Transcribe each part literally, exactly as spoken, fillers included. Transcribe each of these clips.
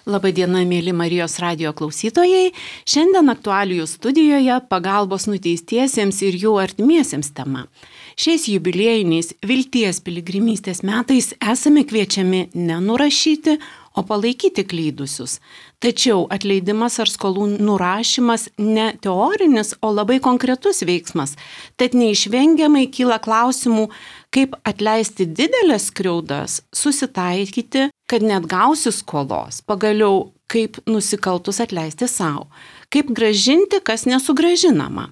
Labadiena, mėly Marijos radijo klausytojai. Šiandien aktualijų studijoje pagalbos nuteistiesiems ir jų artimiesiems tema. Šiais jubiliejiniais vilties piligrimystės metais esame kviečiami nenurašyti, o palaikyti klydusius. Tačiau atleidimas ar skolų nurašymas ne teorinis, o labai konkretus veiksmas. Tad neišvengiamai kyla klausimų, kaip atleisti didelės skriaudas, susitaikyti, kad net gausi skolos, pagaliau kaip nusikaltus atleisti savo, kaip grąžinti, kas nesugrąžinama.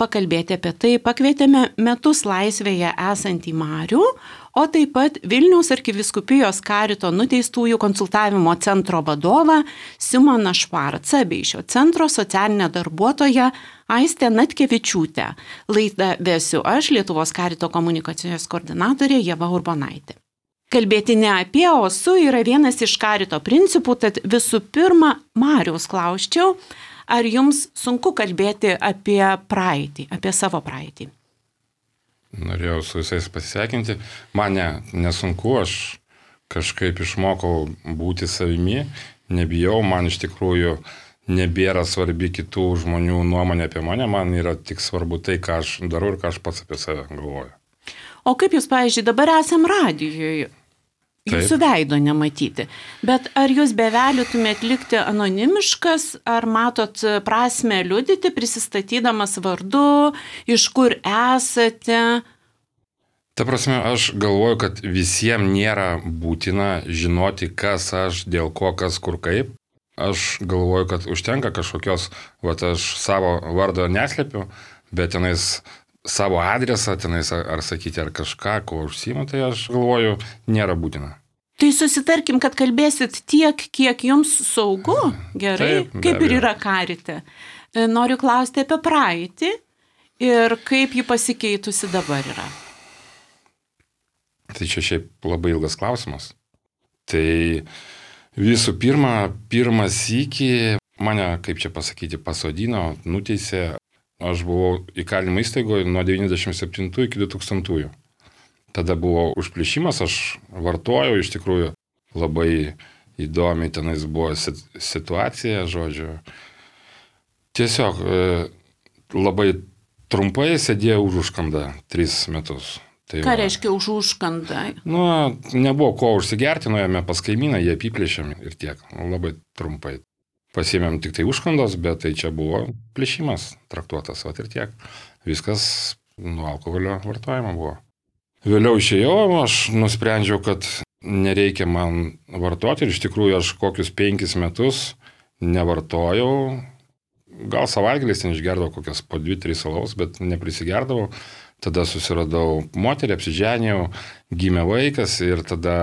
Pakalbėti apie tai pakvietėme metus laisvėje esantį Marių, o taip pat Vilniaus arkivyskupijos karito nuteistųjų konsultavimo centro vadovą Simoną Švarcą bei šio centro socialinę darbuotoją Aistę Natkevičiūtę. Laidą vesiu aš, Lietuvos karito komunikacijos koordinatorė Ieva Urbonaitė. Kalbėti ne apie, o su yra vienas iš karito principų, tad visų pirma, Mariaus klausčiau, ar jums sunku kalbėti apie praeitį, apie savo praeitį? Norėjau su visais pasisveikinti. Man ne, nesunku, aš kažkaip išmokau būti savimi, nebijau, man iš tikrųjų nebėra svarbi kitų žmonių nuomonė apie mane, man yra tik svarbu tai, ką aš darau ir ką aš pats apie save galvoju. O kaip jūs, pavyzdžiui, dabar esam radijoje? Jūsų veido nematyti. Bet ar jūs beveliutumėt likti anonimiškas, ar matot prasmę liudyti, prisistatydamas vardu, iš kur esate? Ta prasme, aš galvoju, kad visiems nėra būtina žinoti, kas aš, dėl ko, kas, kur, kaip. Aš galvoju, kad užtenka kažkokios, vat aš savo vardo neslepiu, bet tenais savo adresą, tenais ar sakyti, ar kažką, ko užsiimu, tai aš galvoju, nėra būtina. Tai susitarkim, kad kalbėsit tiek, kiek jums saugu, gerai, Taip, kaip ir yra karite. Noriu klausti apie praeitį ir kaip ji pasikeitusi dabar yra. Tai čia šiaip labai ilgas klausimas. Tai visų pirma, pirmas sykį mane, kaip čia pasakyti, pasodino, nuteisė. Aš buvau įkalinimo įstaigoje nuo devyniasdešimt septintų iki du tūkstantųjų. Tada buvo užplėšimas, aš vartojau, iš tikrųjų labai įdomi tenais buvo situacija, žodžiu. Tiesiog labai trumpai sėdėjau už užkandą tris metus. Tai Ką va, reiškia už užkandą? Nu, nebuvo ko užsigerti, nuėjome pas kaimyną, jie apiplėšėm ir tiek, labai trumpai. Pasiėmėm tik tai užkandos, bet tai čia buvo plėšimas traktuotas, vat ir tiek. Viskas nuo alkoholio vartojimo buvo. Vėliau išėjau, aš nusprendžiau, kad nereikia man vartoti ir iš tikrųjų aš kokius penkis metus nevartojau. Gal savaitgaliais ten išgerdavau kokias po dvi, tris alaus, bet neprisigerdavau. Tada susiradau moterį, apsiženėjau, gimė vaikas ir tada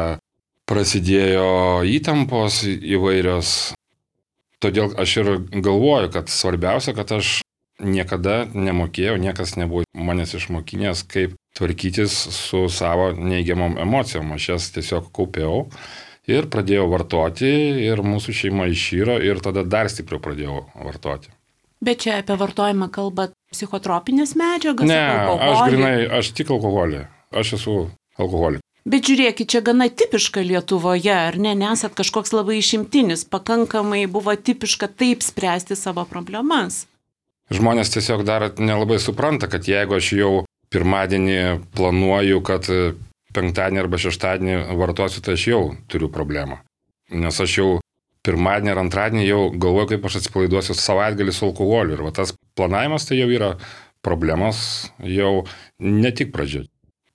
prasidėjo įtampos įvairios. Todėl aš ir galvoju, kad svarbiausia, kad aš niekada nemokėjau, niekas nebuvo manęs išmokinęs, kaip tvarkytis su savo neigiamom emocijom. Aš jas tiesiog kaupiau ir pradėjau vartoti ir mūsų šeima išyro ir tada dar stipriau pradėjau vartoti. Bet čia apie vartojimą kalba psichotropinės medžiagas? Ne, aš grinai, aš tik alkoholį. Aš esu alkoholik. Bet žiūrėkit, čia gana tipiška Lietuvoje, ar ne? Nesat kažkoks labai išimtinis, pakankamai buvo tipiška taip spręsti savo problemas. Žmonės tiesiog dar nelabai supranta, kad jeigu aš jau pirmadienį planuoju, kad penktadienį arba šeštadienį vartosiu, tai aš jau turiu problemą. Nes aš jau pirmadienį ar antradienį jau galvoju, kaip aš atsipalaiduosiu savaitgalį su alkoholiu. Ir va tas planavimas tai jau yra problemos jau ne tik pradžia.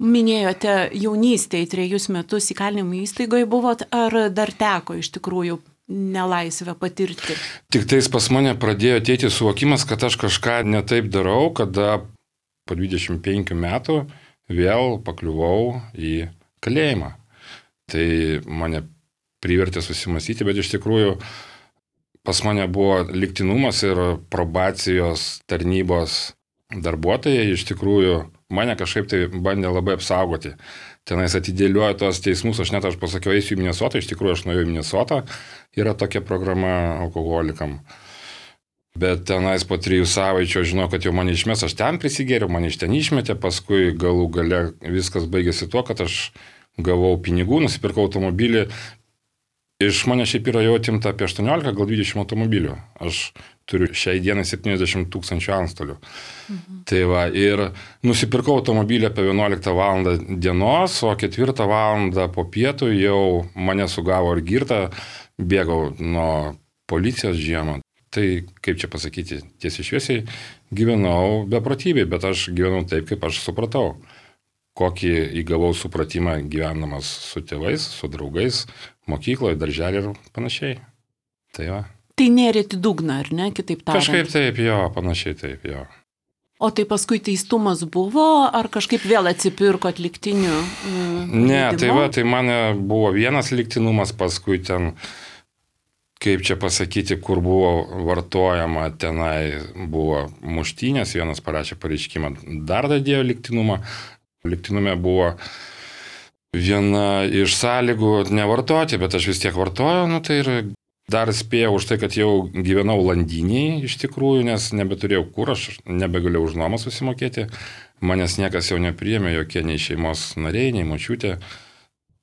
Minėjote jaunystėje trejus metus įkalinimo įstaigoje buvot, ar dar teko iš tikrųjų nelaisvę patirti? Tik tais pas mane pradėjo ateiti suvokimas, kad aš kažką netaip darau, kada po dvidešimt penkių metų vėl pakliuvau į kalėjimą. Tai mane privertė susimąstyti, bet iš tikrųjų pas mane buvo lygtinumas ir probacijos tarnybos darbuotojai iš tikrųjų mane kažkaip tai bandė labai apsaugoti. Tenais atidėliojo tos teismus, aš net aš pasakiau, eisiu į Minesotą, iš tikrųjų aš nuėjau į Minesotą, yra tokia programa alkoholikam. Bet tenais po trijų savaičių žinau, kad jau mane išmes, aš ten prisigėriau, mane iš ten išmetė, paskui galų gale viskas baigėsi tuo, kad aš gavau pinigų, nusipirkau automobilį Iš mane šiaip yra jau atimta apie aštuoniolika, gal dvidešimt automobilių. Aš turiu šiai dienai septyniasdešimt tūkstančių antstolių. Mhm. Tai va, ir nusipirkau automobilį apie vienuoliktą valandą dienos, o ketvirtą valandą po pietų jau mane sugavo ir girtą, bėgau nuo policijos žiemą. Tai, kaip čia pasakyti, tiesiai šviesiai, gyvenau beprotybėj, bet aš gyvenau taip, kaip aš supratau. Kokį įgavau supratimą gyvenamas su tėvais, su draugais, mokykloje, darželį ir panašiai. Tai va. Tai nėrėti dugną, ar ne, kitaip tariant? Kažkaip taip, jo, panašiai taip, jo. O tai paskui teistumas buvo, ar kažkaip vėl atsipirko atliktinių? Mm, ne, tai va, tai mane buvo vienas liktinumas, paskui ten, kaip čia pasakyti, kur buvo vartojama, tenai buvo muštynės, vienas parašė pareiškimą, dar dadėjo liktinumą. Liktinume buvo viena iš sąlygų nevartoti, bet aš vis tiek vartoju, nu tai ir dar spėjau už tai, kad jau gyvenau Landynėje iš tikrųjų, nes nebeturėjau kur, aš nebegalėjau už nuomą susimokėti, manęs niekas jau nepriėmė, jokie nei šeimos nariai, nei močiutė,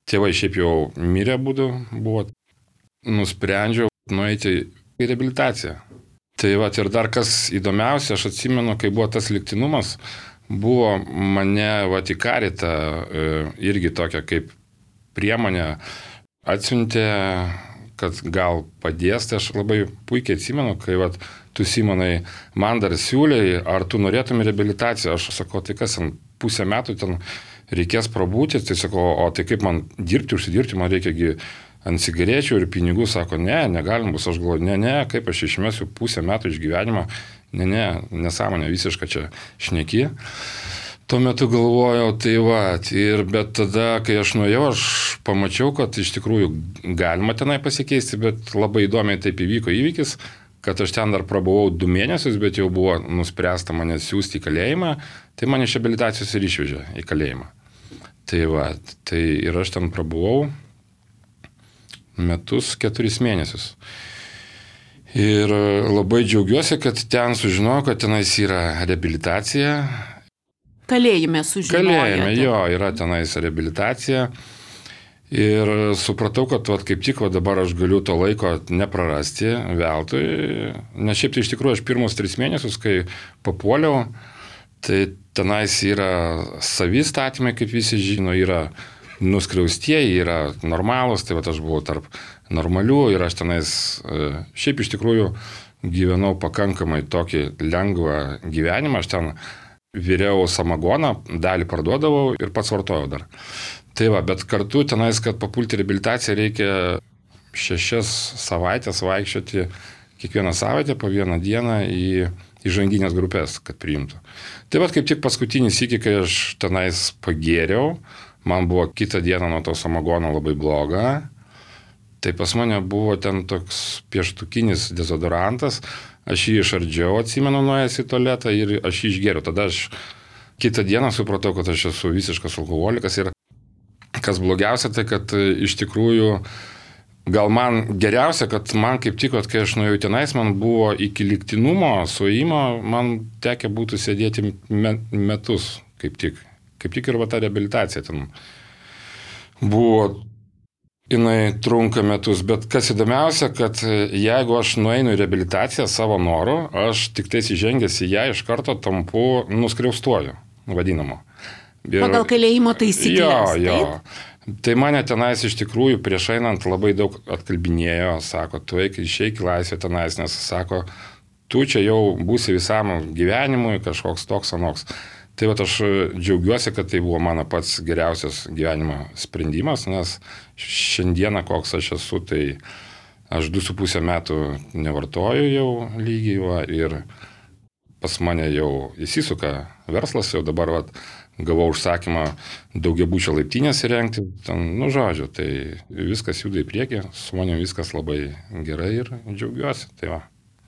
tėvai šiaip jau mirę būdu buvo, nusprendžiau nueiti į reabilitaciją. Tai va, ir dar kas įdomiausia, aš atsimenu, kai buvo tas liktinumas, buvo mane Vatikaritą irgi tokia kaip priemonė atsiuntė, kad gal padės, tai aš labai puikiai atsimenu, kai vat, tu Simonai man dar siūlėjai, ar tu norėtum reabilitaciją, aš sakau, tai kas, pusę metų ten reikės prabūti, tai sakau, o tai kaip man dirbti, užsidirbti, man reikia ant cigarečių ir pinigų, sako, ne, negalim bus, aš galvoju, ne, ne, kaip aš išmesiu pusę metų iš gyvenimo, ne, ne, nesąmonė, visiškai čia šneki. Tuo metu galvojau, tai va, ir bet tada, kai aš nuėjau, aš pamačiau, kad iš tikrųjų galima tenai pasikeisti, bet labai įdomiai taip įvyko įvykis, kad aš ten dar prabuvau du mėnesius, bet jau buvo nuspręsta mane siūsti į kalėjimą, tai mane iš reabilitacijos ir išvežė į kalėjimą. Tai va, tai ir aš ten prabuvau metus, keturis mėnesius. Ir labai džiaugiuosi, kad ten sužinojau, kad tenais yra reabilitacija. Kalėjime sužinojote. Kalėjime, jo, yra tenais reabilitacija. Ir supratau, kad vat, kaip tik vat, dabar aš galiu to laiko neprarasti veltui. Nes šiaip tai iš tikrųjų aš pirmus tris mėnesius, kai papuoliau, tai tenais yra savi statymai, kaip visi žino, yra nuskriaustieji, yra normalūs, tai vat, aš buvau tarp normalių ir aš tenais šiaip iš tikrųjų gyvenau pakankamai tokį lengvą gyvenimą, aš ten viriau samagoną, dalį parduodavau ir pats vartojau dar. Tai va, bet kartu tenais, kad papulti reabilitaciją, reikia šešias savaitės vaikščioti kiekvieną savaitę po vieną dieną į įžanginės grupės, kad priimtų. Tai va, kaip tik paskutinį sykį, kai aš tenais pagėriau, man buvo kitą dieną nuo to samagono labai bloga. Tai pas mane buvo ten toks pieštukinis dezodorantas, aš jį išardžiau, atsimenu, nuėjęs į tualetą ir aš jį išgėriau. Tada aš kitą dieną supratau, kad aš esu visiškas alkoholikas ir kas blogiausia, tai kad iš tikrųjų gal man geriausia, kad man kaip tik, kai aš nuėjau tenais, man buvo iki liktinumo, suėjimo, man tekę būtų sėdėti metus kaip tik. Kaip tik ir va ta reabilitacija ten buvo, jinai trunka metus, bet kas įdomiausia, kad jeigu aš nueinu į reabilitaciją savo noru, aš tik tais įžengęs į ją iš karto tampu nuskriaustuoju, vadinamu. Ir, pagal kalėjimo taisyklės. Jo, jo. Taip? Tai mane tenais iš tikrųjų prieš einant labai daug atkalbinėjo, sako, tu eik išeik į laisvę tenais, nes sako, tu čia jau būsi visam gyvenimui kažkoks toks anoks. Tai va, aš džiaugiuosi, kad tai buvo mano pats geriausias gyvenimo sprendimas, nes šiandieną koks aš esu, tai aš du su pusę metų nevartoju jau lygiai va, ir pas mane jau įsisuka verslas, jau dabar va, gavau užsakymą daugiabučio laiptinės įrengti, ten, nu žodžiu, tai viskas juda į priekį, su manim viskas labai gerai ir džiaugiuosi, tai va.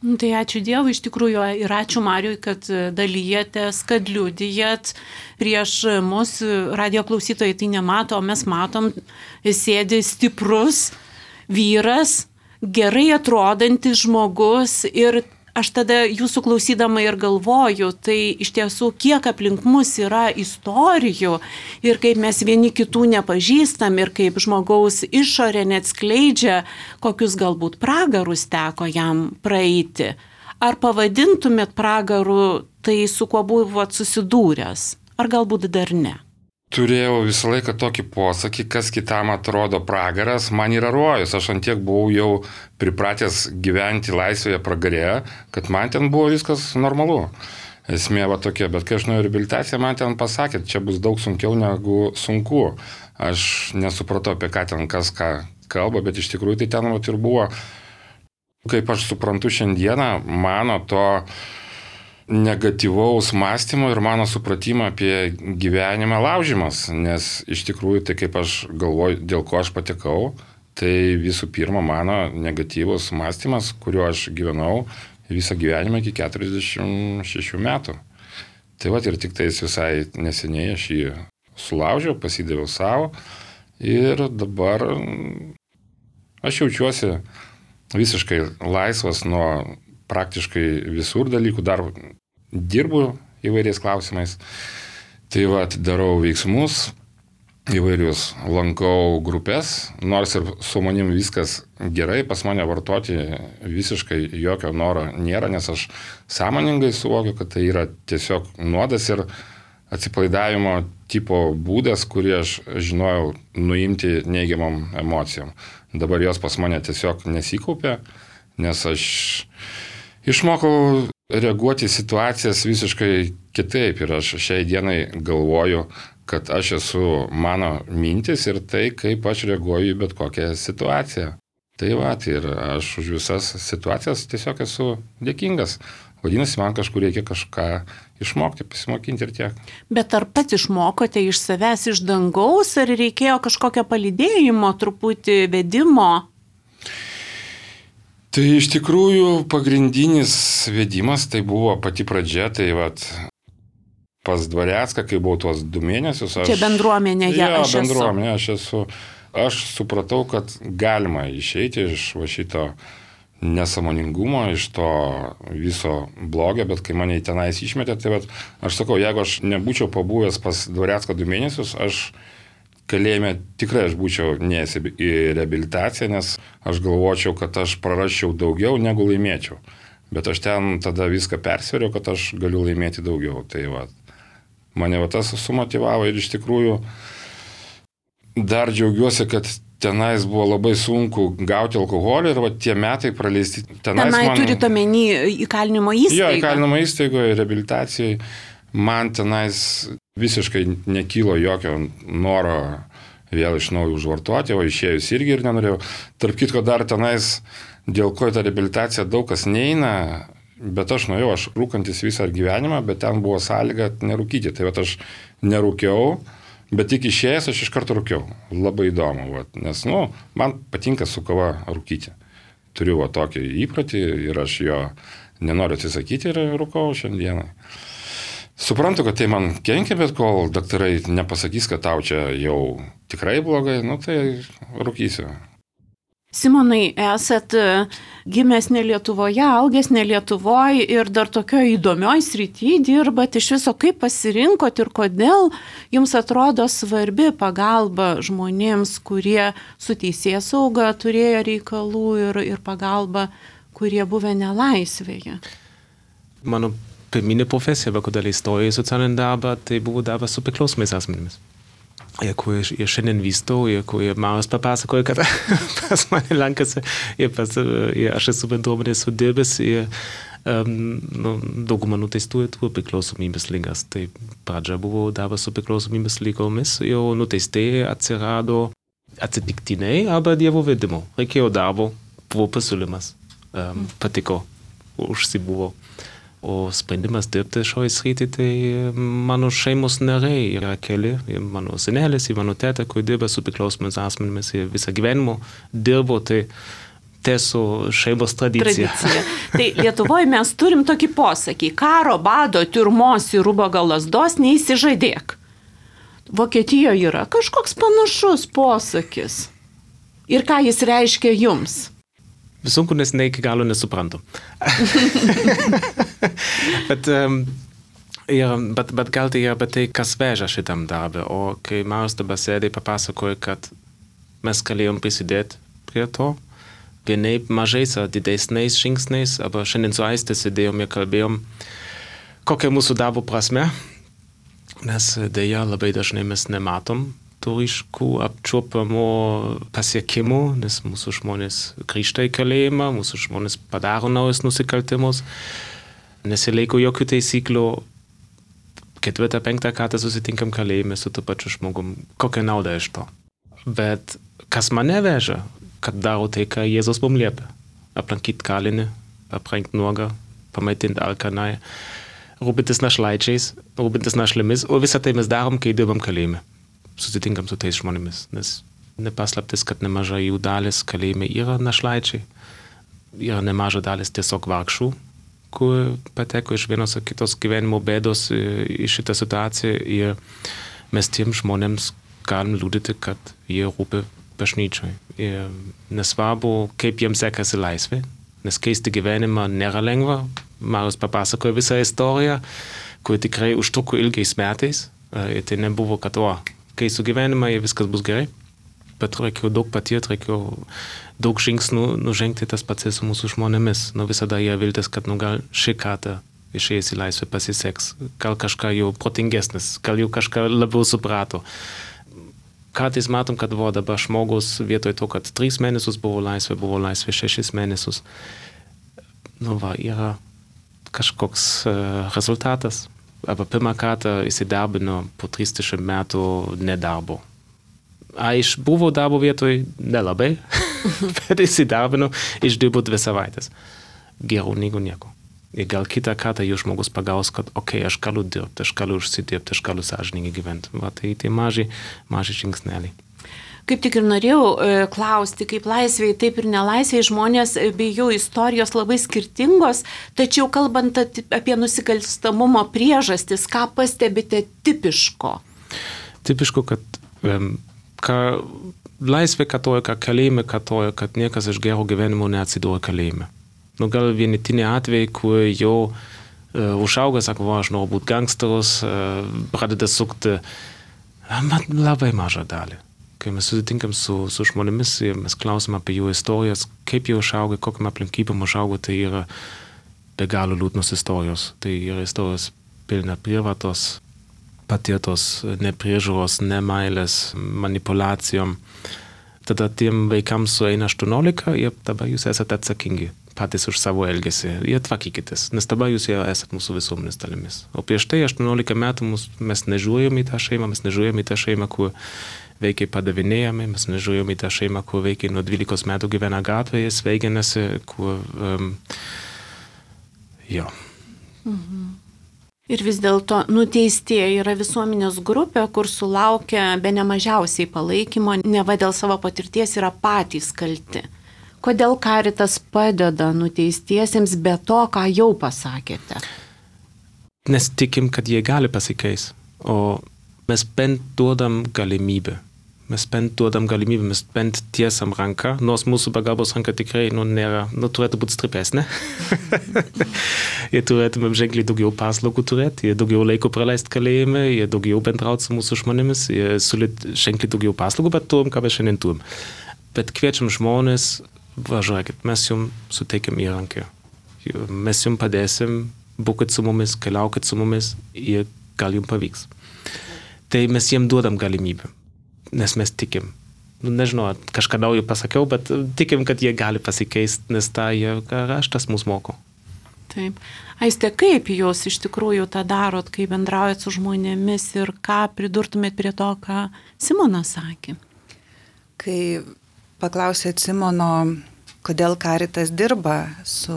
Tai ačiū Dievui iš tikrųjų ir ačiū Mariui, kad dalyjatės, kad liudijat prieš mus, radijo klausytojai tai nemato, o mes matom, sėdi stiprus vyras, gerai atrodantis žmogus ir Aš tada jūsų klausydama ir galvoju, tai iš tiesų kiek aplink mus yra istorijų ir kaip mes vieni kitų nepažįstam ir kaip žmogaus išorė neatskleidžia, kokius galbūt pragarus teko jam praeiti. Ar pavadintumėt pragaru tai, su kuo buvot susidūręs? Ar galbūt dar ne? Turėjau visą laiką tokį posakį, kas kitam atrodo pragaras, man yra rojus. Aš antiek buvau jau pripratęs gyventi laisvėje pragarėje, kad man ten buvo viskas normalu. Esmė va tokia, bet kai aš nuėjau reabilitaciją, man ten pasakė, čia bus daug sunkiau negu sunku. Aš nesupratau, apie ką ten kas ką kalba, bet iš tikrųjų tai ten vat ir buvo. Kaip aš suprantu šiandieną, mano to negatyvaus mąstymo ir mano supratimo apie gyvenimą laužimas, nes iš tikrųjų tai kaip aš galvoju, dėl ko aš patekau, tai visų pirma mano negatyvus mąstymas, kuriuo aš gyvenau visą gyvenimą iki keturiasdešimt šešių metų. Tai va ir tik tais visai neseniai aš jį sulaužiau, pasidaviau savo ir dabar aš jaučiuosi visiškai laisvas nuo praktiškai visur dalykų, dar dirbu įvairiais klausimais. Tai va, darau veiksmus, įvairius lankau grupės, nors ir su manim viskas gerai, pas mane vartoti visiškai jokio noro nėra, nes aš sąmoningai suvokiu, kad tai yra tiesiog nuodas ir atsipalaidavimo tipo būdas, kurį aš žinojau nuimti neigiamom emocijom. Dabar jos pas mane tiesiog nesikaupia, nes aš išmokau reaguoti į situacijas visiškai kitaip ir aš šiai dienai galvoju, kad aš esu mano mintis ir tai, kaip aš reaguoju į bet kokią situaciją. Tai va, tai ir aš už visas situacijas tiesiog esu dėkingas. Vadinasi, man kažkur reikia kažką išmokti, pasimokinti ir tiek. Bet ar pats išmokote iš savęs iš dangaus, ar reikėjo kažkokio palydėjimo, truputį vedimo? Tai iš tikrųjų pagrindinis vedimas tai buvo pati pradžia, tai vat pas Dvarecką, kai buvau tuos du mėnesius. Aš, Čia bendruomenėje ja, aš esu. Bendruomenė, aš esu. Aš supratau, kad galima išeiti iš va šito nesąmoningumo, iš to viso blogio, bet kai mane tenais išmetė, tai vat, aš sakau, jeigu aš nebūčiau pabuvęs pas Dvarecką du mėnesius, aš kalėjime tikrai aš būčiau neėjęs į reabilitaciją, nes aš galvočiau, kad aš prarasčiau daugiau negu laimėčiau. Bet aš ten tada viską persveriau, kad aš galiu laimėti daugiau. Tai va, mane va tas sumotivavo ir iš tikrųjų dar džiaugiuosi, kad tenais buvo labai sunku gauti alkoholį ir va tie metai praleisti tenais. Tenai man... turite omeny įkalinimo įstaigą? Jo, įkalinimo įstaigoje, reabilitacijai. Man tenais visiškai nekylo jokio noro vėl iš naujo užvartoti, o išėjus irgi ir nenorėjau. Tarp kitko dar tenais, dėl ko į tą reabilitaciją daug kas neina, bet aš nuėjau, aš rūkantis visą gyvenimą, bet ten buvo sąlyga nerūkyti. Tai va aš nerūkiau, bet tik išėjęs aš iš karto rūkiau. Labai įdomu, va, nes nu, man patinka su kava rūkyti. Turiu va tokį įprotį ir aš jo nenoriu atsisakyti ir rūkau šiandienai. Suprantu, kad tai man kenkia, bet kol daktarai nepasakys, kad tau čia jau tikrai blogai, nu tai rūkysiu. Simonai, esat gimęs ne Lietuvoje, augęs ne Lietuvoje ir dar tokio įdomioj srity dirbat. Iš viso, kaip pasirinkot ir kodėl jums atrodo svarbi pagalba žmonėms, kurie su teisėsauga turėjo reikalų ir, ir pagalba, kurie buvę nelaisvėje? Mano pirminė profesija, kodėl įstojau į socialinį darbą, tai buvo darbas su priklausomais asmenimis. Ir kur ir šiandien vystau, ir kur ir Marius papasakoja, kad pas mane lankasi, ir, pas, ir aš esu bendruomenės sudirbęs, ir um, nu, dauguma nuteistųjų turi priklausomybės ligas. Tai pradžia buvo darbas su priklausomybės lygomis, jau nuteistieji atsirado atsitiktiniai, arba dievo vedimu. Reikėjo darbo, buvo pasiūlymas, um, patiko, užsibuvo. O sprendimas dirbti šioje srityje, tai mano šeimos nariai yra keli, mano senelis, mano teta, kur dirba su priklausomais asmenimis ir visą gyvenimą dirbo, tai tiesų šeimos tradicija. tradicija. Tai Lietuvoje mes turim tokį posakį, karo, bado, tiurmos ir ubago lazdos neįsižadėk. Vokietijoje yra kažkoks panašus posakis. Ir ką jis reiškia jums? sunku, nes ne iki galo nesuprantu. bet, um, ir, bet, bet gal tai yra apie tai, kas veža šitam darbą. O kai Marius dabar sėdė, papasakoja, kad mes galėjom prisidėti prie to, vienaip mažais ar didesniais žingsniais, aber šiandien su Aiste sėdėjom ir kalbėjom, kokia mūsų darbo prasme, nes dėja labai dažnai mes nematom tų ryškų apčiuopamų pasiekimų, nes mūsų žmonės grįžta į kalėjimą, mūsų žmonės padaro naujus nusikaltimus, nesilaiko jokių taisyklių, ketvirtą, penktą kartą susitinkam kalėjime su tuo pačiu žmogum. Kokia nauda iš to? Bet kas mane veža, kad daro tai, ką Jėzus mums liepia. Aplankyti kalinį, aprengti nuogą, pamaitinti alkanai, rūpintis našlaičiais, rūpintis našlėmis, o visą tai mes darom, kai dirbam kalėjime. Susitinkam su tais žmonėmis, nes nepaslaptis, kad nemaža jų dalis kalėjime yra našlaičiai, yra nemaža dalis tiesiog vargšų, kur pateko iš vienos ar kitos gyvenimo bėdos į šitą situaciją ir mes tiem žmonėms galim liudyti, kad jie rūpi bažnyčiai. Ir nesvarbu, kaip jiems sekasi laisvė, nes keisti gyvenimą nėra lengva. Marius papasakojo visą istoriją, kur tikrai užtruko ilgiais metais. Ir tai nebuvo, kad o, keisiu gyvenimą ir viskas bus gerai. Bet reikėjo daug patirti, reikėjo daug žingsnių nužengti tas pats su mūsų žmonėmis. Nu visada jie viltis, kad nu gal šį kartą išėjęs į laisvę pasiseks. Gal kažką jau protingesnis, gal jau kažką labiau suprato. Kartais matom, kad buvo dabar žmogus vietoj to, kad tris mėnesius buvo laisvė, buvo laisvė šešis mėnesius. Nu va, yra kažkoks uh, rezultatas. Aber pirmą kartą įsidarbino po trisdešimt metų nedarbo. A iš buvo darbo vietoj nelabai, bet įsidarbino, išdirbo dvi savaitės. Geriau negu nieko. Ir gal kitą kartą jau žmogus pagaus, kad okei, okay, aš galiu dirbti, aš galiu užsidirbti, aš galiu sąžiningai gyventi. Va, tai tai maži, maži žingsneliai. Kaip tik ir norėjau e, klausti, kaip laisvėje, taip ir nelaisvėje žmonės bei jų istorijos labai skirtingos, tačiau kalbant apie nusikalstamumo priežastis, ką pastebite tipiško? Tipiško, kad um, ką laisvė katoja, ką kalėjime katoja, kad niekas iš gero gyvenimo neatsidūrė kalėjime. Nu gal vienetiniai atvejai, kur jau uh, užauga, sako, va, aš noriu būti gangsterus, uh, pradeda sukti, man labai mažą dalį. Kai mes susitinkam su, su žmonėmis ir mes klausim apie jų istorijas, kaip jie užauga, kokiam aplinkybėm užauga, tai yra be galo liūdnos istorijos. Tai yra istorijos pilna prievartos, patirtos nepriežiūros, nemailės, manipulacijom. Tada tiem vaikams sueina aštuoniolika ir dabar jūs esate atsakingi patys už savo elgesį. Ir tvarkykitės, nes dabar jūs jau esate mūsų visuomenės dalimis. O prieš tai aštuoniolika metų mus, mes nežiūrėjom į tą šeimą, mes nežiūrėjom į tą šeimą, kur veikiai padavinėjami, mes nežiūrėjom į tą šeimą, kur veikiai nuo dvylikos metų gyvena gatvėje, sveiginasi, kur... Um, jo. Mhm. Ir vis dėlto nuteistieji yra visuomenės grupė, kur sulaukia be nemažiausiai palaikymo, neva dėl savo patirties yra patys kalti. Kodėl Caritas padeda nuteistiesiems be to, ką jau pasakėte? Nes tikim, kad jie gali pasikeis, o mes bent duodam galimybę. Mes bent duodam galimybę, mes bent tiesam ranką, nors mūsų pagalbos ranka tikrai nu, nėra, nu, turėtų būti stipresnė. Jie turėtumėm ženkliai daugiau paslaugų turėti, jie daugiau laiko praleisti kalėjime, jie daugiau bendrauti su mūsų žmonėmis, jie siūlyti ženkliai daugiau paslaugų, bet turim, ką mes šiandien turim. Bet kviečiam žmonės, važiuokit, mes jums suteikiam įrankį. Mes jums padėsim, būkit su mumis, keliaukit su mumis ir gal jums pavyks. Tai mes jiems duodam galimybę, nes mes tikim. Nu, nežinau, kažką naujo pasakiau, bet tikim, kad jie gali pasikeisti, nes tą jie raštas mus moko. Taip. Aiste, kaip jūs iš tikrųjų tą darot, kai bendraujat su žmonėmis ir ką pridurtumėt prie to, ką Simonas sakė? Kai paklausėt Simono, kodėl Caritas dirba su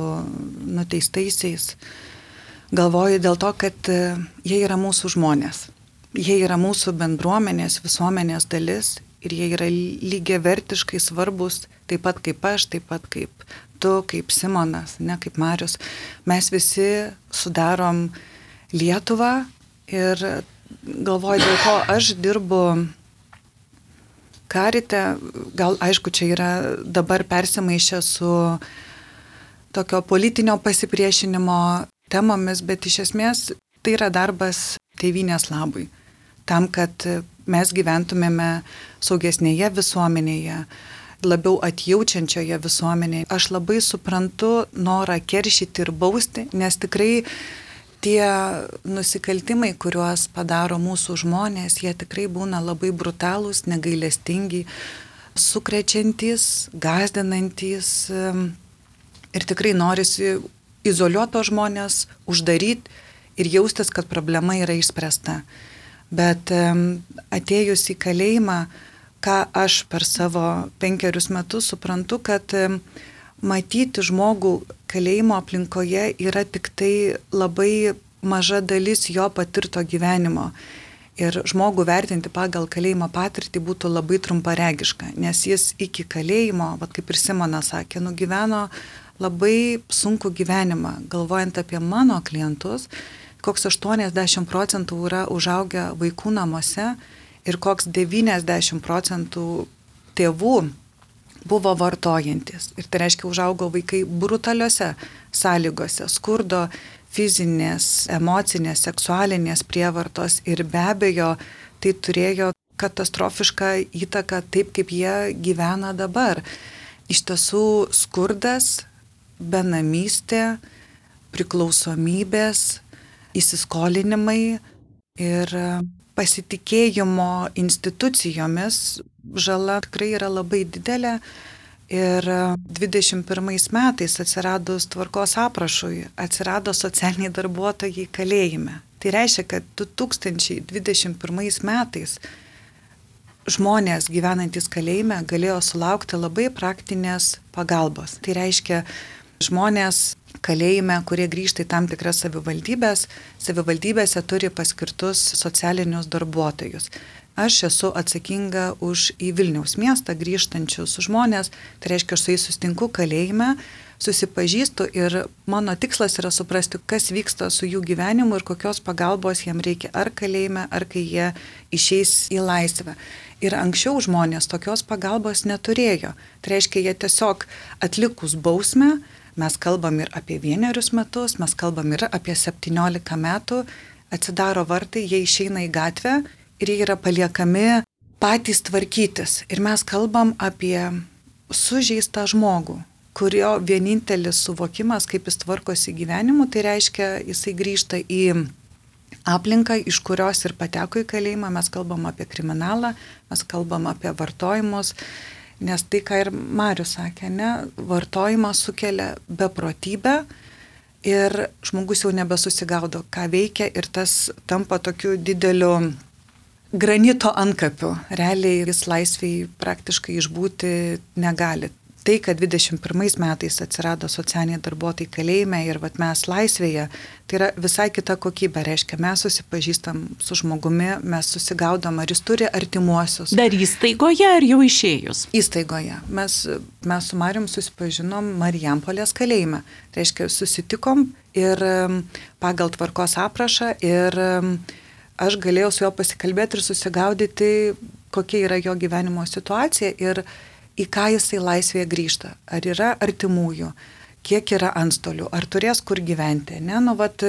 nuteistaisiais, galvoju dėl to, kad jie yra mūsų žmonės. Jie yra mūsų bendruomenės, visuomenės dalis ir jie yra lygiavertiškai svarbus, taip pat kaip aš, taip pat kaip tu, kaip Simonas, ne kaip Marius. Mes visi sudarom Lietuvą ir galvoju, dėl ko aš dirbu karite, gal aišku, čia yra dabar persimaišę su tokio politinio pasipriešinimo temomis, bet iš esmės tai yra darbas tėvynės labui. Tam, kad mes gyventumėme saugesnėje visuomenėje, labiau atjaučiančioje visuomenėje. Aš labai suprantu norą keršyti ir bausti, nes tikrai tie nusikaltimai, kuriuos padaro mūsų žmonės, jie tikrai būna labai brutalūs, negailestingi, sukrečiantys, gąsdinantys ir tikrai norisi izoliuoto žmonės uždaryti ir jaustis, kad problema yra išspręsta. Bet atėjus į kalėjimą, ką aš per savo penkerius metus suprantu, kad matyti žmogų kalėjimo aplinkoje yra tik tai labai maža dalis jo patirto gyvenimo. Ir žmogų vertinti pagal kalėjimo patirtį būtų labai trumparegiška, nes jis iki kalėjimo, vat kaip ir Simonas sakė, nugyveno labai sunkų gyvenimą. Galvojant apie mano klientus, koks aštuoniasdešimt procentų yra užaugę vaikų namuose ir koks devyniasdešimt procentų tėvų buvo vartojantis. Ir tai reiškia, užaugo vaikai brutaliose sąlygose, skurdo, fizinės, emocinės, seksualinės prievartos ir be abejo tai turėjo katastrofišką įtaką taip, kaip jie gyvena dabar. Iš tiesų skurdas, benamystė, priklausomybės, įsiskolinimai ir pasitikėjimo institucijomis žala tikrai yra labai didelė. Ir dvidešimt pirmais metais atsiradus tvarkos aprašui, atsirado socialiniai darbuotojai kalėjime. Tai reiškia, kad du tūkstančiai dvidešimt pirmais metais žmonės gyvenantys kalėjime galėjo sulaukti labai praktinės pagalbos. Tai reiškia, žmonės kalėjime, kurie grįžta į tam tikras savivaldybės, savivaldybėse turi paskirtus socialinius darbuotojus. Aš esu atsakinga už į Vilniaus miestą grįžtančius žmonės, tai reiškia, aš su jais sustinku kalėjime, susipažįstu ir mano tikslas yra suprasti, kas vyksta su jų gyvenimu ir kokios pagalbos jiems reikia ar kalėjime, ar kai jie išeis į laisvę. Ir anksčiau žmonės tokios pagalbos neturėjo. Tai reiškia, jie tiesiog atlikus bausmę, mes kalbam ir apie vienerius metus, mes kalbam ir apie septyniolika metų, atsidaro vartai, jie išeina į gatvę ir jie yra paliekami patys tvarkytis. Ir mes kalbam apie sužeistą žmogų, kurio vienintelis suvokimas, kaip jis tvarkosi gyvenimu, tai reiškia, jisai grįžta į aplinką, iš kurios ir pateko į kalėjimą. Mes kalbam apie kriminalą, mes kalbam apie vartojimus, nes tai, ką ir Marius sakė, ne, vartojimas sukelia beprotybę ir žmogus jau nebesusigaudo, ką veikia ir tas tampa tokiu dideliu granito antkapiu. Realiai jis laisviai praktiškai išbūti negali. Tai, kad dvidešimt pirmais metais atsirado socialiniai darbuotojai kalėjime ir vat mes laisvėje, tai yra visai kita kokybė. Reiškia, mes susipažįstam su žmogumi, mes susigaudom, ar jis turi artimuosius. Dar įstaigoje ar jau išėjus? Įstaigoje. Mes, mes su Marium susipažinom Marijampolės kalėjime. Reiškia, susitikom ir pagal tvarkos aprašą ir aš galėjau su juo pasikalbėti ir susigaudyti, kokia yra jo gyvenimo situacija ir į ką jisai laisvėje grįžta. Ar yra artimųjų, kiek yra antstolių, ar turės kur gyventi. Ne? Nu, vat,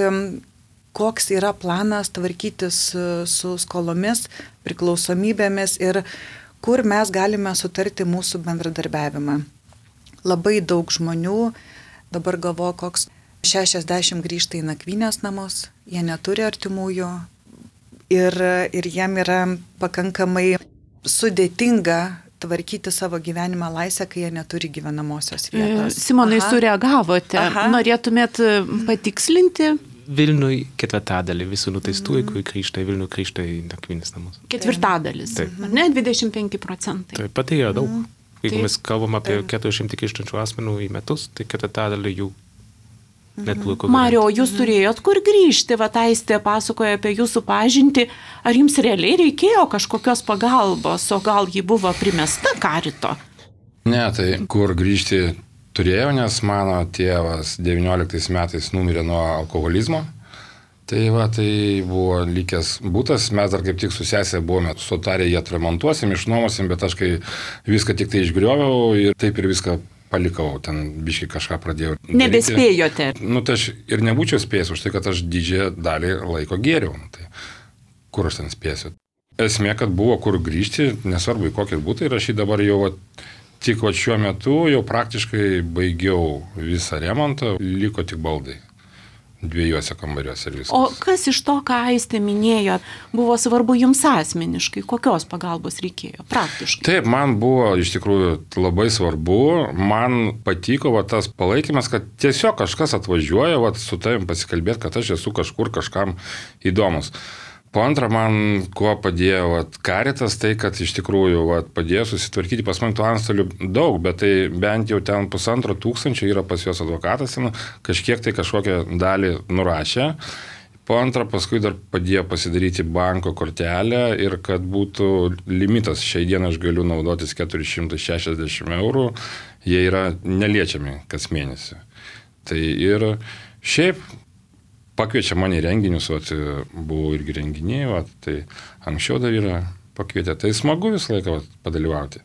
koks yra planas tvarkytis su skolomis, priklausomybėmis ir kur mes galime sutarti mūsų bendradarbiavimą. Labai daug žmonių, dabar galvoju, koks šešiasdešimt grįžta į nakvynės namus, jie neturi artimųjų ir, ir jiem yra pakankamai sudėtinga tvarkyti savo gyvenimą laisvę, kai jie neturi gyvenamosios vietos. Simonai, Aha. sureagavote. Aha. Norėtumėt patikslinti? Vilniui ketvirtadalį visų nuteistųjų, kurie grįžta į Vilnių, grįžta į nakvynės namus. Ketvirtadalis, ar ne? dvidešimt penki procentai. Taip, pat tai yra daug. Jeigu mes kalbam apie keturiasdešimt grįžtančių asmenų į metus, tai ketvirtadalį jų neturi. Mario, jūs turėjot kur grįžti, va Aistė pasakoja apie jūsų pažintį, ar jums realiai reikėjo kažkokios pagalbos, o gal ji buvo primesta karito? Ne, tai kur grįžti turėjau, nes mano tėvas devynioliktais metais numirė nuo alkoholizmo, Tai va, tai buvo likęs būtas, mes dar kaip tik su sesė buvome sutarę, jį atremontuosim, išnuomosim, bet aš kai viską tik tai išgrioviau ir taip ir viską palikau, ten biškai kažką pradėjau daryti. Nebespėjote. Nu, tai aš ir nebūčiau spėjęs už tai, kad aš didžiąją dalį laiko gėriau. Tai kur aš ten spėsiu? Esmė, kad buvo kur grįžti, nesvarbu į kokį būtą, ir aš jį dabar jau va, tik va šiuo metu jau praktiškai baigiau visą remontą, liko tik baldai. Dviejose kambariuose ir viskas. O kas iš to, ką Aistė minėjo, buvo svarbu jums asmeniškai? Kokios pagalbos reikėjo praktiškai? Taip, man buvo iš tikrųjų labai svarbu. Man patiko va, tas palaikymas, kad tiesiog kažkas atvažiuoja va, su tavim pasikalbėti, kad aš esu kažkur kažkam įdomus. Po antrą, man kuo padėjo vat, Caritas, tai kad iš tikrųjų vat, padėjo susitvarkyti, pas man tų antstolių daug, bet tai bent jau ten pusantro tūkstančio yra pas jos advokatas, kažkiek tai kažkokią dalį nurašė. Po antrą, paskui dar padėjo pasidaryti banko kortelę ir kad būtų limitas, šiai dieną aš galiu naudotis keturi šimtai šešiasdešimt eurų, jie yra neliečiami kas mėnesį. Tai ir šiaip pakviečia mane į renginius, vat, buvo irgi renginiai, vat, tai anksčiau dar yra pakvietę, tai smagu visą laiką vat, padalyvauti.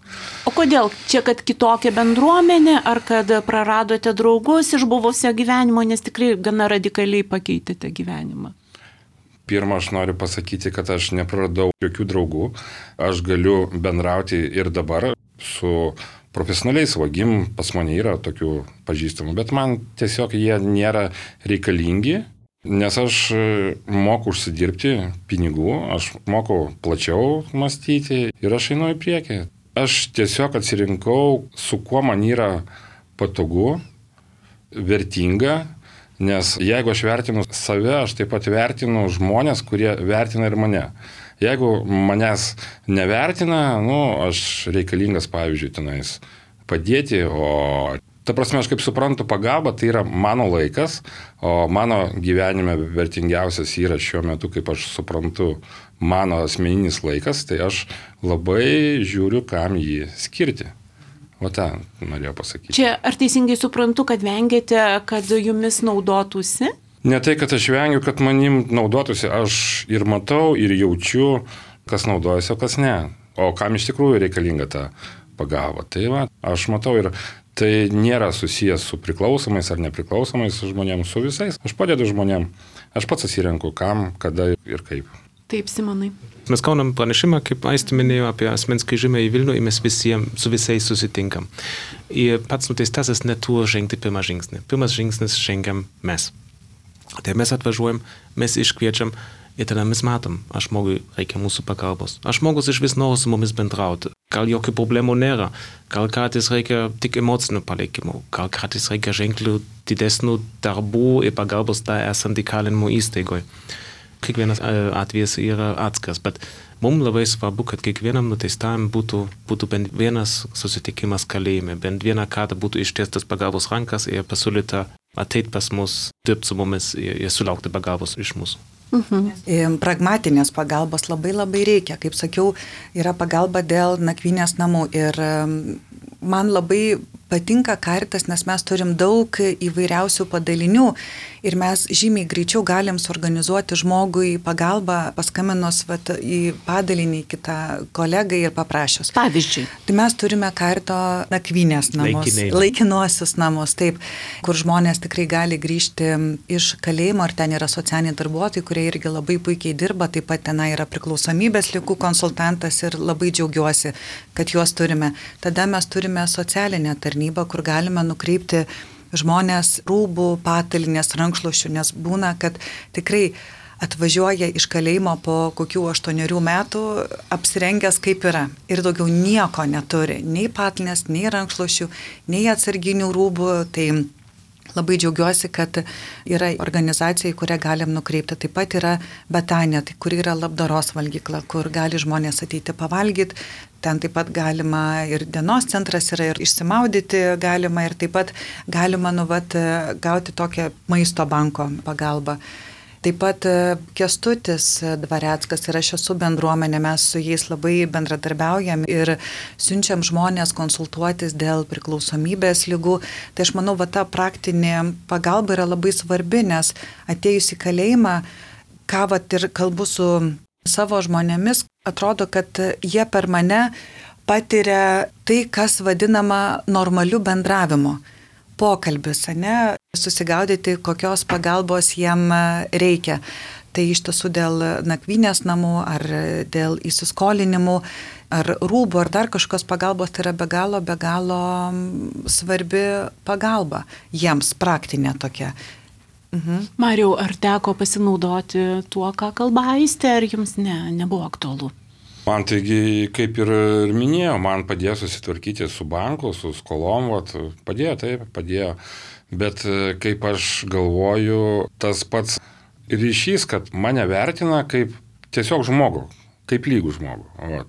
O kodėl? Čia, kad kitokia bendruomenė, ar kad praradote draugus iš buvusio gyvenimo, nes tikrai gana radikaliai pakeitėte gyvenimą? Pirma, aš noriu pasakyti, kad aš nepraradau jokių draugų, aš galiu bendrauti ir dabar su profesionaliais vagim, pas mane yra tokių pažįstamų, bet man tiesiog jie nėra reikalingi. Nes aš moku užsidirbti pinigų, aš moku plačiau mąstyti ir aš einu į priekį. Aš tiesiog atsirinkau, su kuo man yra patogu, vertinga, nes jeigu aš vertinu save, aš taip pat vertinu žmonės, kurie vertina ir mane. Jeigu manęs nevertina, nu, aš reikalingas, pavyzdžiui, tenais padėti, o ta prasme, aš kaip suprantu, pagalba tai yra mano laikas, o mano gyvenime vertingiausias yra šiuo metu, kaip aš suprantu, mano asmeninis laikas, tai aš labai žiūriu, kam jį skirti. O tą norėjau pasakyti. Čia ar teisingai suprantu, kad vengėte, kad jumis naudotųsi? Ne tai, kad aš vengiu, kad manim naudotųsi, aš ir matau, ir jaučiu, kas naudojasi, o kas ne. O kam iš tikrųjų reikalinga ta pagalba. Tai va, aš matau ir tai nėra susijęs su priklausomais ar nepriklausomais žmonėms, su visais. Aš padedu žmonėm, aš pats atsirenku, kam, kada ir kaip. Taip, Simonai. Mes gaunam pranešimą, kaip Aistė minėjo, apie asmens grįžimą į Vilnių ir mes visiems, su visais susitinkam. Ir pats nuteistasis neturi žengti pirmą žingsnį. Pirmas žingsnis žengiam mes. Tai mes atvažiuojam, mes iškviečiam ir tada mes matom, aš žmogui reikia mūsų pagalbos. Aš žmogus iš vis nori su mumis bendrauti. Gal jokių problemų nėra. Gal kartais reikia tik emocinio palaikymo. Gal kartais reikia ženklių didesnių darbų ir pagalbos tą esant įkalinimo įstaigoje. Kiekvienas atvejis yra atskiras, bet mums labai svarbu, kad kiekvienam nuteistam būtų, būtų bent vienas susitikimas kalėjime, bent vieną kartą būtų ištiestas pagalbos rankas ir pasiūlyta ateit pas mus, dirbti su mumis ir, ir sulaukti pagalbos iš mūsų. Mhm. Pragmatinės pagalbos labai labai reikia. Kaip sakiau, yra pagalba dėl nakvynės namų ir man labai patinka Caritas, nes mes turim daug įvairiausių padalinių ir mes žymiai greičiau galim suorganizuoti žmogui pagalbą paskambinus vat, į padalinį kitą kolegai ir paprašius. Pavyzdžiui. Tai mes turime Carito nakvynės namus, Laikiniai. laikinuosius namus, taip, kur žmonės tikrai gali grįžti iš kalėjimo ir ten yra socialiniai darbuotojai, kurie irgi labai puikiai dirba, taip pat ten yra priklausomybės ligų konsultantas ir labai džiaugiuosi, kad juos turime. Tada mes turime socialinę tarnybą, kur galime nukreipti žmonės rūbų, patalinės, rankšluošių, nes būna, kad tikrai atvažiuoja iš kalėjimo po kokių aštuonerių metų apsirengęs kaip yra ir daugiau nieko neturi, nei patalinės, nei rankšluošių, nei atsarginių rūbų, tai labai džiaugiuosi, kad yra organizacija, į kurią galim nukreipti. Taip pat yra Betanija, tai kur yra labdaros valgykla, kur gali žmonės ateiti pavalgyti. Ten taip pat galima ir dienos centras yra, ir išsimaudyti galima, ir taip pat galima nu, vat, gauti tokią maisto banko pagalbą. Taip pat Kęstutis Dvareckas ir aš esu bendruomenė, mes su jais labai bendradarbiaujam ir siunčiam žmonės konsultuotis dėl priklausomybės ligų. Tai aš manau, va ta praktinė pagalba yra labai svarbi, nes atėjus į kalėjimą ką vat ir kalbu su savo žmonėmis, atrodo, kad jie per mane patiria tai, kas vadinama normaliu bendravimu. Pokalbis, ne? Susigaudyti, kokios pagalbos jiem reikia. Tai iš tiesų dėl nakvynės namų, ar dėl įsiskolinimų, ar rūbų, ar dar kažkokios pagalbos, tai yra be galo, be galo svarbi pagalba jiems, praktinė tokia. Mhm. Mariau, ar teko pasinaudoti tuo, ką kalba Aistė, ar jums ne, nebuvo aktualu? Man taigi, kaip ir minėjau, man padėjo susitvarkyti su banku, su skolom, vat, padėjo, taip, padėjo. Bet kaip aš galvoju, tas pats ryšys, kad mane vertina kaip tiesiog žmogų, kaip lygų žmogų. Va,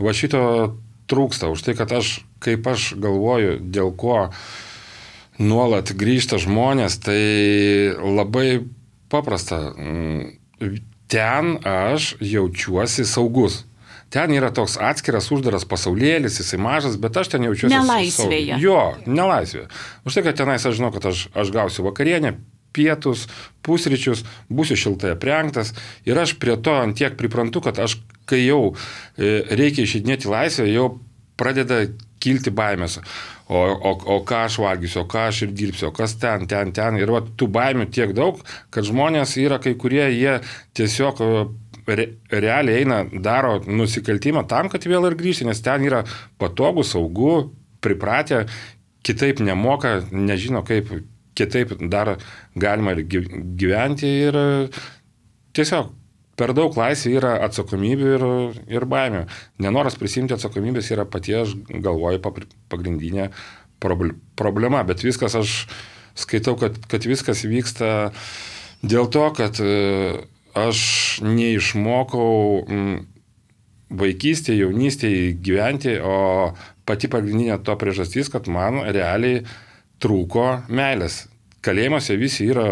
va šito trūksta, už tai, kad aš, kaip aš galvoju, dėl ko nuolat grįžta žmonės, tai labai paprasta. Ten aš jaučiuosi saugus. Ten yra toks atskiras, uždaras pasaulėlis, jisai mažas, bet aš ten jaučiuosi nelaisvėje. Jo, nelaisvėje. Už tai, kad tenais aš žinau, kad aš, aš gausiu vakarienę, pietus, pusryčius, būsiu šiltai aprengtas ir aš prie to antiek priprantu, kad aš, kai jau reikia išeidinėti laisvę, jau pradeda kilti baimės. O, o, o ką aš valgysiu, o ką aš ir dirbsiu, o kas ten, ten, ten. Ir va, tų baimių tiek daug, kad žmonės yra kai kurie, jie tiesiog re, realiai eina, daro nusikaltimą tam, kad vėl ir grįžti, nes ten yra patogu, saugu, pripratę, kitaip nemoka, nežino kaip kitaip dar galima ir gyventi ir tiesiog per daug laisvė yra atsakomybių ir, ir baimių. Nenoras prisimti atsakomybės yra paties, galvoju, pagrindinė problema, bet viskas aš skaitau, kad, kad viskas vyksta dėl to, kad aš neišmokau vaikystėje, jaunystėje gyventi, o pati pagrindinė to priežastys, kad man realiai trūko meilės. Kalėjimuose visi yra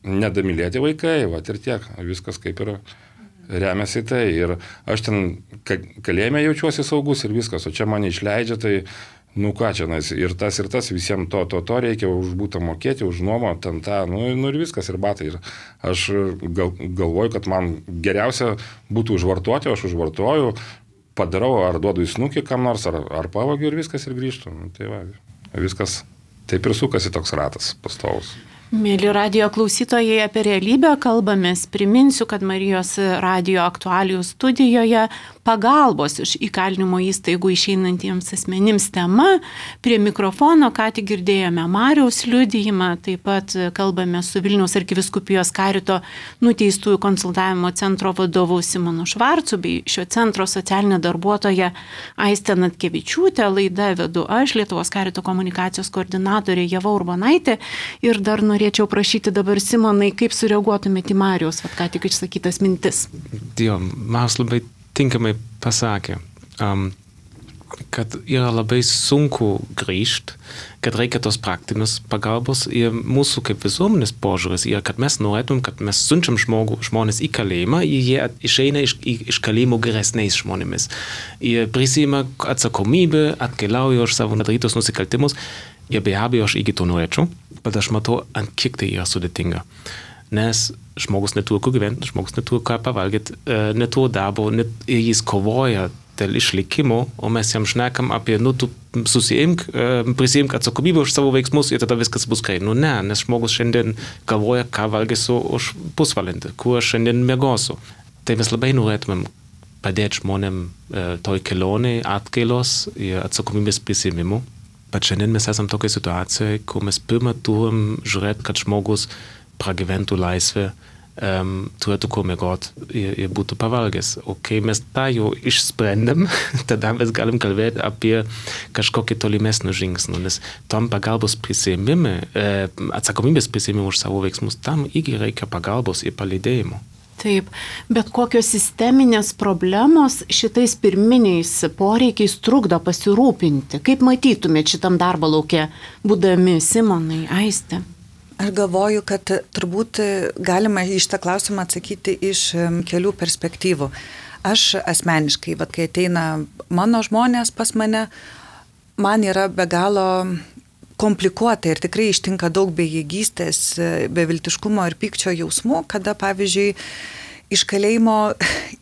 nedamylėti vaikai, va ir tiek, viskas kaip ir remiasi tai. Ir aš ten kalėjime jaučiuosi saugus ir viskas, o čia mane išleidžia, tai nu ką čia, ir tas ir tas, visiems to, to, to reikia už būtą mokėti, už nuomą, ten tą, nu, nu ir viskas, ir batai. Ir aš gal, galvoju, kad man geriausia būtų užvartoti, aš užvartoju, padarau, ar duodu į snukį kam nors, ar, ar pavagiu ir viskas ir grįžtu. Nu, tai va, viskas. Taip ir sukasi toks ratas pastovus. Mėly radijo klausytojai, apie realybę kalbamės. Priminsiu, kad Marijos radijo aktualijų studijoje pagalbos iš įkalinimo įstaigų išeinantiems asmenims tema. Prie mikrofono ką tik girdėjome Mariaus liudijimą, taip pat kalbame su Vilniaus arkivyskupijos karito nuteistųjų konsultavimo centro vadovu Simonu Švarcu bei šio centro socialinė darbuotoja Aistė Natkevičiūtė. Laidą vedu aš, Lietuvos karito komunikacijos koordinatorė Ieva Urbonaitė. Ir dar norėčiau prašyti dabar Simonai, kaip sureaguotumėte į Mariaus, vat ką tik išsakytas mintis. Jo, Marius labai tinkamai pasakė, um, kad yra labai sunku grįžt, kad reikia tos praktinės pagalbos ir mūsų kaip visuomenės požiūris yra, kad mes norėtum, kad mes siunčiam žmogų, žmonės į kalėjimą ir jie išeina iš, iš kalėjimo geresniais žmonėmis. Jie prisiima atsakomybę, atkeliauja už savo darytus nusikaltimus ir be abejo aš iki to norėčiau, bet aš matau, ant kiek tai yra sudėtinga. Nes žmogus neturi kur gyventi, žmogus neturi ką pavalgyti, neturi darbo, net, jis kovoja dėl išlikimo, o mes jam šnekam apie, nu, tu susiimk, prisiimk atsakomybę už savo veiksmus ir tada viskas bus gerai. Nu ne, nes žmogus šiandien galvoja, ką valgysiu už pusvalandį, kur aš šiandien miegosiu. Tai mes labai norėtumėm padėti žmonėm toj kelionėj atgailos ir atsakomybės prisiimimu. Bet šiandien mes esam tokiai situacijai, kur mes pirmą turim žiūrėti, kad žmogus pragyventų laisvę, um, turėtų kur miegot ir, ir būtų pavalgęs. O kai mes tą jau išsprendėm, tada mes galim kalbėti apie kažkokį tolimesnį žingsnį, nes tam pagalbos prisiėmime, atsakomybės prisiėmime už savo veiksmus, tam irgi reikia pagalbos ir palydėjimo. Taip, bet kokios sisteminės problemos šitais pirminiais poreikiais trukdo pasirūpinti? Kaip matytumėt šitam darbo lauke, būdami Simonai, Aistė? Aš galvoju, kad turbūt galima į šitą klausimą atsakyti iš kelių perspektyvų. Aš asmeniškai, vat, kai ateina mano žmonės pas mane, man yra be galo komplikuota ir tikrai ištinka daug bejėgystės, beviltiškumo ir pykčio jausmų, kada, pavyzdžiui, iš kalėjimo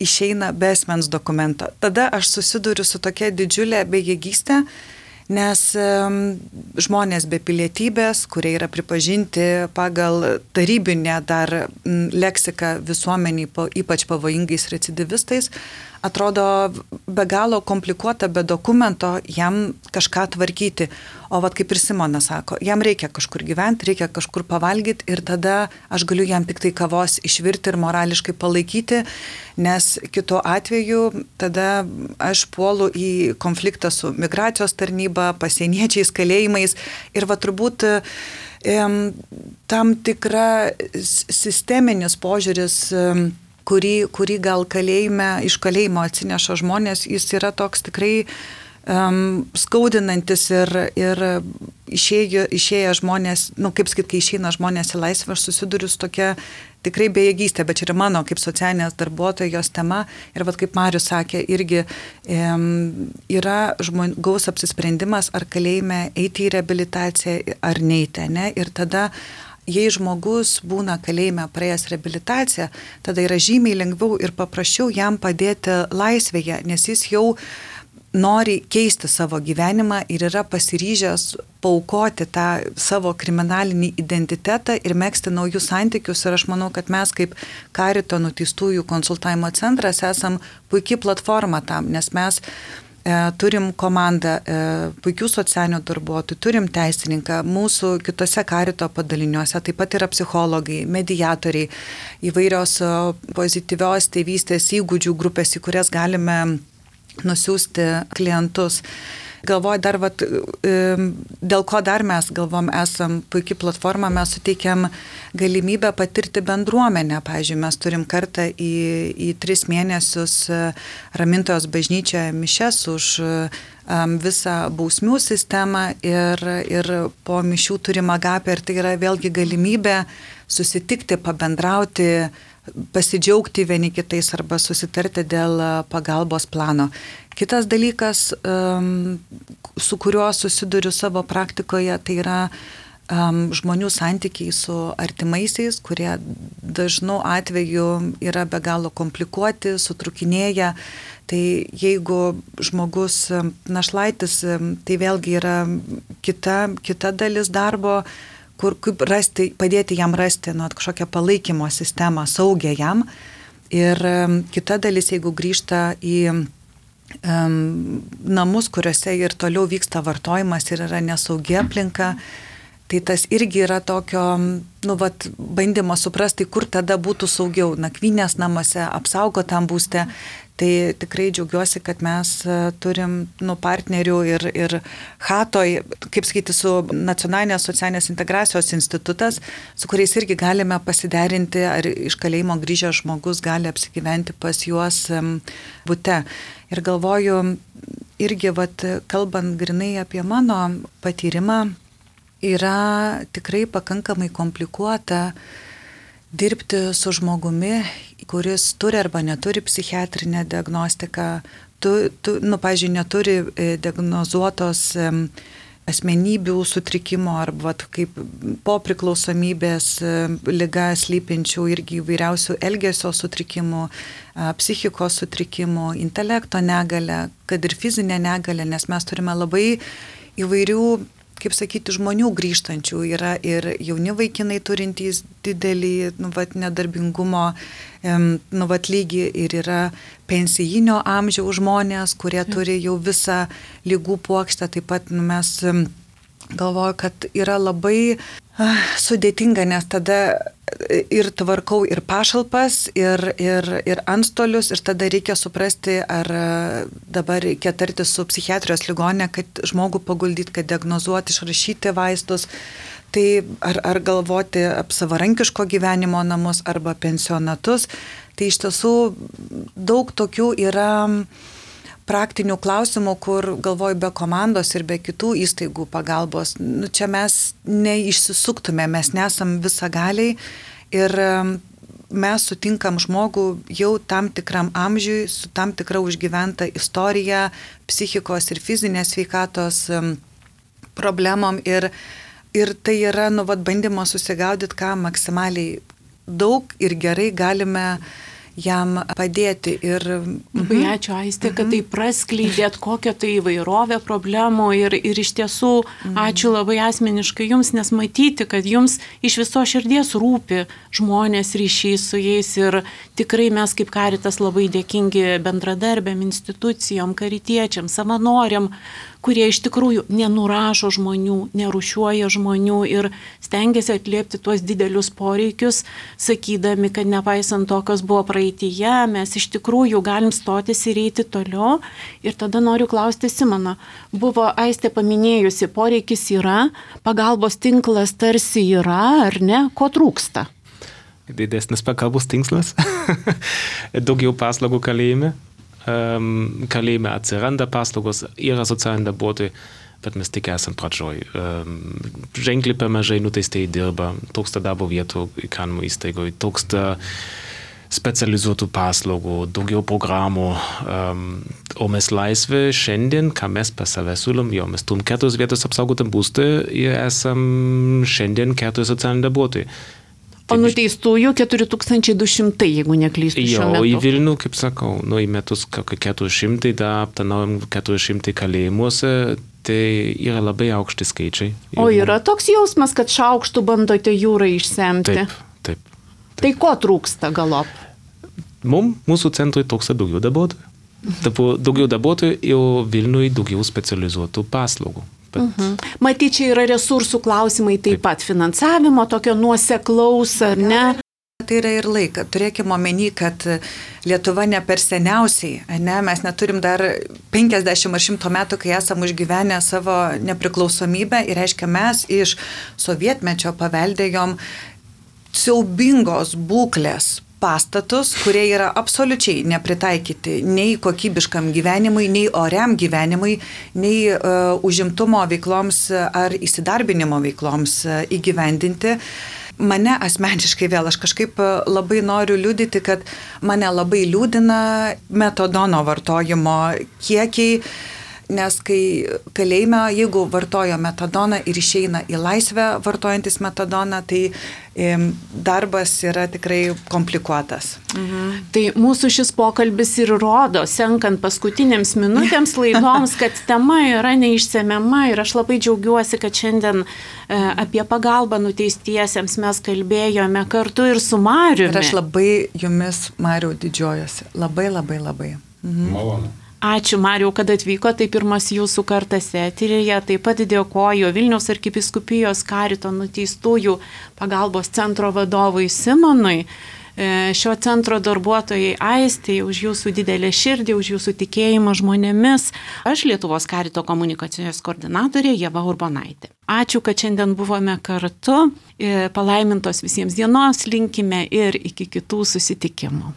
išeina be asmens dokumento. Tada aš susiduriu su tokia didžiulė bejėgystė, nes um, žmonės be pilietybės, kurie yra pripažinti pagal tarybinę dar m, leksiką visuomeniai, po, ypač pavojingais recidivistais, atrodo be galo komplikuota, be dokumento jam kažką tvarkyti. O vat kaip ir Simona sako, jam reikia kažkur gyventi, reikia kažkur pavalgyti ir tada aš galiu jam tik tai kavos išvirti ir morališkai palaikyti, nes kitu atveju tada aš puolu į konfliktą su migracijos tarnyba, pasieniečiais, kalėjimais ir va turbūt em, tam tikra sisteminis požiūris, em, kurį, kurį gal kalėjime, iš kalėjimo atsineša žmonės, jis yra toks tikrai um, skaudinantis ir, ir išėjo, išėję žmonės, nu kaip sakyt, kai išeina žmonės į laisvę, aš susiduriu su tokia tikrai bejėgystė, bet čia yra mano kaip socialinės darbuotojos tema ir vat kaip Marius sakė, irgi um, yra žmogaus apsisprendimas, ar kalėjime eiti į reabilitaciją ar neiti, ne? Ir tada jei žmogus būna kalėjime praėjęs reabilitaciją, tada yra žymiai lengviau ir paprasčiau jam padėti laisvėje, nes jis jau nori keisti savo gyvenimą ir yra pasiryžęs paaukoti tą savo kriminalinį identitetą ir megzti naujus santykius. Ir aš manau, kad mes kaip Karito nuteistųjų konsultavimo centras esam puikiai platforma tam, nes mes turim komandą puikių socialinių darbuotojų, turim teisininką, mūsų kitose Karito padaliniuose, taip pat yra psichologai, mediatoriai, įvairios pozityvios tėvystės įgūdžių grupės, į kurias galime nusiųsti klientus. Galvoju dar, vat, dėl ko dar mes galvom esam puikiai platforma, mes suteikiam galimybę patirti bendruomenę. Pavyzdžiui, mes turim kartą į, į tris mėnesius Ramintojos bažnyčioje mišias už um, visą bausmių sistemą ir, ir po mišių turim agapę ir tai yra vėlgi galimybė susitikti, pabendrauti, pasidžiaugti vieni kitais arba susitarti dėl pagalbos plano. Kitas dalykas, su kuriuo susiduriu savo praktikoje, tai yra žmonių santykiai su artimaisiais, kurie dažnu atveju yra be galo komplikuoti, sutrukinėja. Tai jeigu žmogus našlaitis, tai vėlgi yra kita, kita dalis darbo, kur kaip rasti, padėti jam rasti nu, kažkokią palaikymo sistemą, saugią jam. Ir um, kita dalis, jeigu grįžta į um, namus, kuriuose ir toliau vyksta vartojimas ir yra nesaugi aplinka, tai tas irgi yra tokio, nu, vat, bandymo suprasti, kur tada būtų saugiau, nakvynės namuose, apsaugotam būste. Tai tikrai džiaugiuosi, kad mes turim nu, partnerių ir, ir Hatoj, kaip sakyti, su Nacionalinės socialinės integracijos institutas, su kuriais irgi galime pasiderinti, ar iš kalėjimo grįžęs žmogus gali apsigyventi pas juos bute. Ir galvoju, irgi, vat, kalbant grinai apie mano patyrimą, yra tikrai pakankamai komplikuota dirbti su žmogumi, kuris turi arba neturi psichiatrinę diagnostiką, tu, tu, nu, pavyzdžiui, neturi diagnozuotos asmenybių sutrikimo arba kaip po priklausomybės liga slypinčių irgi įvairiausių elgesio sutrikimų, psichikos sutrikimų, intelekto negalę, kad ir fizinę negalę, nes mes turime labai įvairių, kaip sakyti, žmonių grįžtančių, yra ir jauni vaikinai turintys didelį nu, vat, nedarbingumo nu, vat, lygį ir yra pensijinio amžiaus žmonės, kurie turi jau visą lygų puokštę. Taip pat nu, mes galvoju, kad yra labai uh, sudėtinga, nes tada ir tvarkau ir pašalpas, ir, ir, ir antstolius, ir tada reikia suprasti, ar dabar reikia tarti su psichiatrijos ligoninė, kad žmogų paguldyti, kad diagnozuoti, išrašyti vaistus, tai ar, ar galvoti apie savarankiško gyvenimo namus arba pensionatus. Tai iš tiesų daug tokių yra praktinių klausimų, kur galvoju be komandos ir be kitų įstaigų pagalbos. Nu, čia mes neišsisuktume, mes nesam visagaliai ir mes sutinkam žmogų jau tam tikram amžiui, su tam tikra užgyventa istorija, psichikos ir fizinės sveikatos problemom ir, ir tai yra nu, vat, bandymo susigaudyti, ką maksimaliai daug ir gerai galime jam padėti. Ir, labai mhm. ačiū, Aistė, kad tai praskleidėt kokią tai įvairovę problemų ir, ir iš tiesų mhm. ačiū labai asmeniškai jums, nes matyti, kad jums iš viso širdies rūpi žmonės, ryšys su jais ir tikrai mes kaip Karitas labai dėkingi bendradarbėm, institucijom, karitiečiam, savanoriam, kurie iš tikrųjų nenurašo žmonių, nerušiuoja žmonių ir stengiasi atliepti tuos didelius poreikius, sakydami, kad nepaisant to, kas buvo praeityje, mes iš tikrųjų galim stotis ir eiti toliau. Ir tada noriu klausti Simono. Buvo Aistė paminėjusi, poreikis yra, pagalbos tinklas tarsi yra, ar ne? Ko trūksta? Didesnis pagalbos tinklas, daugiau paslaugų kalėjime. Um, kalėjime atsiranda paslaugos, yra socialiniai darbuotojai, bet mes tik esam pradžioj. Um, ženkliai per mažai nuteistieji dirba, trūksta darbo vietų įkalinimo įstaigoje, trūksta specializuotų paslaugų, daugiau programų. Um, o mes laisvė šiandien, ką mes pas save siūlom, jo, mes turim keturios vietos apsaugotam būstui ir esam šiandien keturi socialiniai darbuotojai. O nuteistųjų keturi tūkstančiai du šimtai, jeigu neklystu šiuo metu. Jo, į Vilnių, kaip sakau, nu, į metus keturi šimtai, da aptarnaujam keturi šimtai kalėjimuose, tai yra labai aukšti skaičiai. O yra toks jausmas, kad šaukštų bandote jūrą išsemti? Taip, taip. taip. Tai ko trūksta galop? Mums, mūsų centrui trūksta daugiau darbuotojų. Daugiau darbuotojų ir Vilniui daugiau specializuotų paslaugų. Bet... Mhm. Matyt, čia yra resursų klausimai taip, taip pat, finansavimo, tokio nuoseklaus, ar ne? Tai yra ir laika. Turėkime omeny, kad Lietuva ne per seniausiai, ne? Mes neturim dar penkiasdešimt ar šimto metų, kai esam užgyvenę savo nepriklausomybę ir reiškia mes iš sovietmečio paveldėjom siaubingos būklės pastatus, kurie yra absoliučiai nepritaikyti nei kokybiškam gyvenimui, nei oriam gyvenimui, nei uh, užimtumo veikloms ar įsidarbinimo veikloms uh, įgyvendinti. Mane asmeniškai vėl, aš kažkaip labai noriu liudyti, kad mane labai liūdina metadono vartojimo kiekiai, nes kai kalėjime, jeigu vartojo metadoną ir išeina į laisvę vartojantis metadoną, tai e, darbas yra tikrai komplikuotas. Mhm. Tai mūsų šis pokalbis ir rodo, senkant paskutinėms minutėms laidoms, kad tema yra neišsemiama ir aš labai džiaugiuosi, kad šiandien e, apie pagalbą nuteistiesiems mes kalbėjome kartu ir su Mariumi. Ir aš labai jumis, Mariau, didžiuojuosi. Labai, labai, labai. Mhm. Malonu. Ačiū, Mariau, kad atvyko, tai pirmas jūsų kartas eteryje. Taip pat dėkoju Vilniaus arkivyskupijos Karito nuteistųjų pagalbos centro vadovui Simonui, šio centro darbuotojai Aistei už jūsų didelę širdį, už jūsų tikėjimą žmonėmis. Aš Lietuvos Karito komunikacijos koordinatorė Ieva Urbonaitė. Ačiū, kad šiandien buvome kartu. Palaimintos visiems dienos linkime ir iki kitų susitikimų.